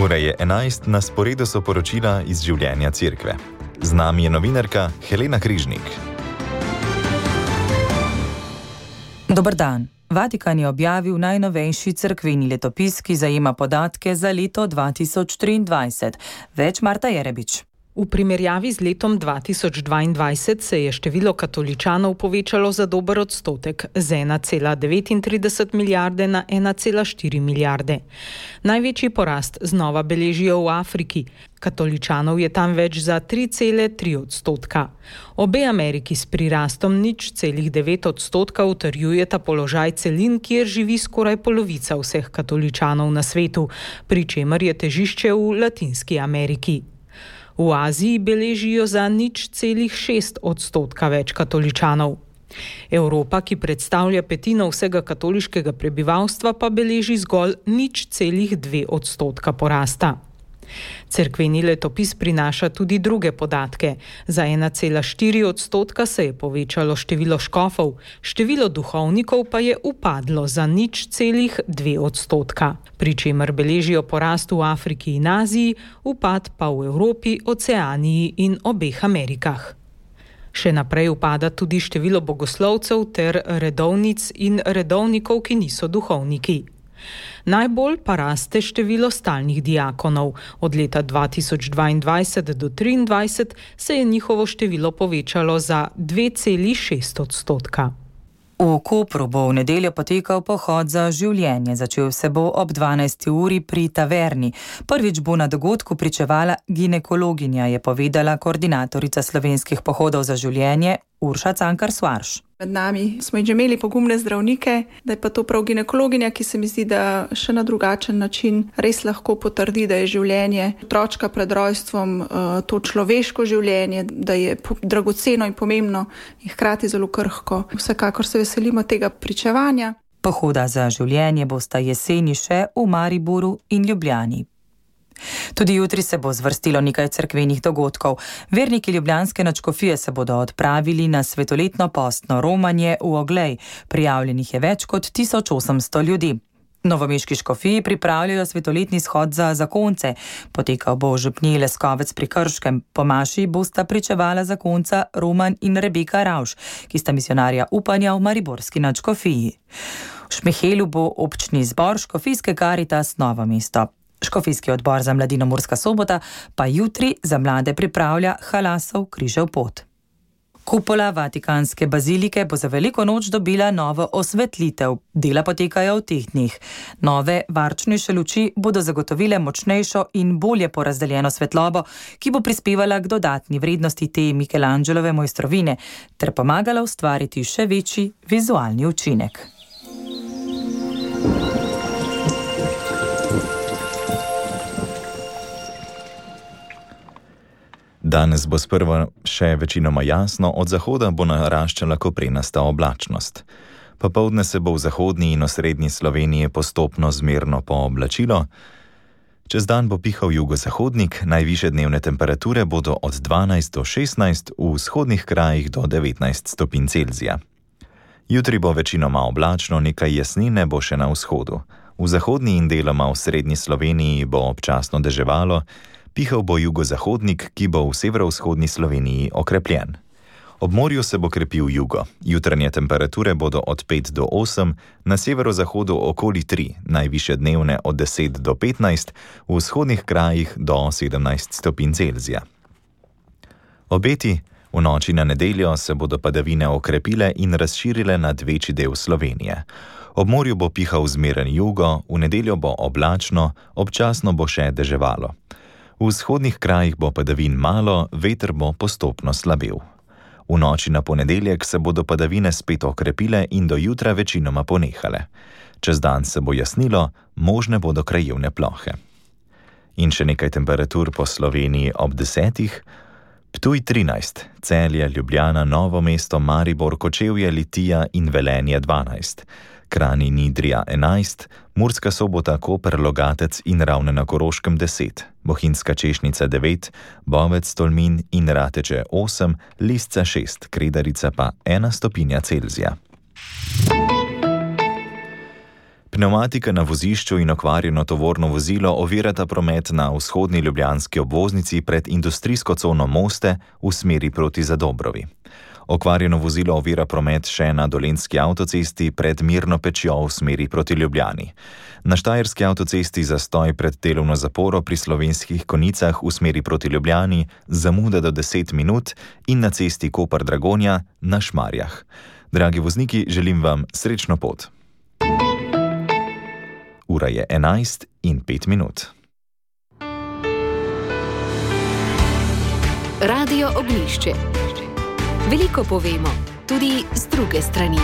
Ura je 11, na sporedu so poročila iz življenja cerkve. Z nami je novinarka Helena Križnik. Dober dan. Vatikan je objavil najnovejši cerkveni letopis, ki zajema podatke za leto 2023. Več Marta Jerebič. V primerjavi z letom 2022 se je število katoličanov povečalo za dober odstotek, z 1,39 milijarde na 1,4 milijarde. Največji porast znova beležijo v Afriki. Katoličanov je tam več za 3,3 odstotka. Obe Ameriki s prirastom 0,9 odstotka utrjujeta položaj celin, kjer živi skoraj polovica vseh katoličanov na svetu, pri čemer je težišče v Latinski Ameriki. V Aziji beležijo za 0,6 odstotka več katoličanov. Evropa, ki predstavlja petino vsega katoliškega prebivalstva, pa beleži zgolj 0,2 odstotka porasta. Cerkveni letopis prinaša tudi druge podatke. Za 1,4 odstotka se je povečalo število škofov, število duhovnikov pa je upadlo za 0,2 odstotka, pri čemer beležijo porast v Afriki in Aziji, upad pa v Evropi, Oceaniji in obeh Amerikah. Še naprej upada tudi število bogoslovcev ter redovnic in redovnikov, ki niso duhovniki. Najbolj pa raste število stalnih diakonov. Od leta 2022 do 2023 se je njihovo število povečalo za 2,6 odstotka. V Kopru bo v nedeljo potekal pohod za življenje. Začel se bo ob 12. uri pri taverni. Prvič bo na dogodku pričevala ginekologinja, je povedala koordinatorica slovenskih pohodov za življenje Urša Cankar-Svarš. Med nami smo že imeli pogumne zdravnike, da je pa to prav ginekologinja, ki se mi zdi, da še na drugačen način res lahko potrdi, da je življenje otročka pred rojstvom to človeško življenje, da je dragoceno in pomembno in hkrati zelo krhko. Vsekakor se veselimo tega pričevanja. Pohoda za življenje bosta jeseni še v Mariboru in Ljubljani. Tudi jutri se bo zvrstilo nekaj cerkvenih dogodkov. Verniki ljubljanske nadškofije se bodo odpravili na svetoletno postno romanje v Oglej. Prijavljenih je več kot 1800 ljudi. Novomeški škofiji pripravljajo svetoletni shod za zakonce. Potekal bo v župniji Leskovec pri Krškem. Po maši bosta pričevala zakonca Roman in Rebeka Ravš, ki sta misionarja upanja v mariborski nadškofiji. V Šmihelu bo občni zbor škofijske Karitas Novo mesto. Škofijski odbor za mladino Murska Sobota pa jutri za mlade pripravlja Halasov križev pot. Kupola Vatikanske bazilike bo za veliko noč dobila novo osvetlitev. Dela potekajo v teh dneh. Nove, varčnejše luči bodo zagotovile močnejšo in bolje porazdeljeno svetlobo, ki bo prispevala k dodatni vrednosti te Michelangelove mojstrovine ter pomagala ustvariti še večji vizualni učinek. Danes bo sprva še večinoma jasno, od zahoda bo naraščala koprenasta oblačnost. Popoldne se bo v zahodni in osrednji Sloveniji postopno zmerno pooblačilo. Čez dan bo pihal jugozahodnik, najvišje dnevne temperature bodo od 12 do 16, v vzhodnih krajih do 19 stopinj Celzija. Jutri bo večinoma oblačno, nekaj jasnine bo še na vzhodu. V zahodni in deloma v srednji Sloveniji bo občasno deževalo, pihal bo jugozahodnik, ki bo v severovzhodni Sloveniji okrepljen. Ob morju se bo krepil jugo. Jutranje temperature bodo od 5 do 8, na severozahodu okoli 3, najvišje dnevne od 10 do 15, v vzhodnih krajih do 17 stopinj Celzija. Obeti: v noči na nedeljo se bodo padavine okrepile in razširile nad večji del Slovenije. Ob morju bo pihal zmeren jugo, v nedeljo bo oblačno, občasno bo še deževalo. V vzhodnih krajih bo padavin malo, veter bo postopno slabel. V noči na ponedeljek se bodo padavine spet okrepile in do jutra večinoma ponehale. Čez dan se bo jasnilo, možne bodo krajevne plohe. In še nekaj temperatur po Sloveniji ob 10. Ptuj 13, Celje, Ljubljana, Novo mesto, Maribor, Kočevje, Litija in Velenje 12. Kranj in Idrija 11, Murska Sobota, Koper, Logatec in Ravne na Koroškem 10, Bohinjska Češnica 9, Bovec, Tolmin in Rateče 8, Lisca 6, Kredarica pa 1 stopinja Celzija. Pneumatika na vozišču in okvarjeno tovorno vozilo ovirata promet na vzhodni ljubljanski obvoznici pred industrijsko cono Moste v smeri proti Zadobrovi. Okvarjeno vozilo ovira promet še na Dolenjski avtocesti pred Mirno Pečjo v smeri proti Ljubljani. Na Štajerski avtocesti zastoj pred delovno zaporo pri Slovenskih Konicah v smeri proti Ljubljani, zamuda do 10 minut in na cesti Koper-Dragonja na Šmarjah. Dragi vozniki, želim vam srečno pot. Ura je 11:05. Radio Oglišče. Veliko povemo, tudi z druge strani.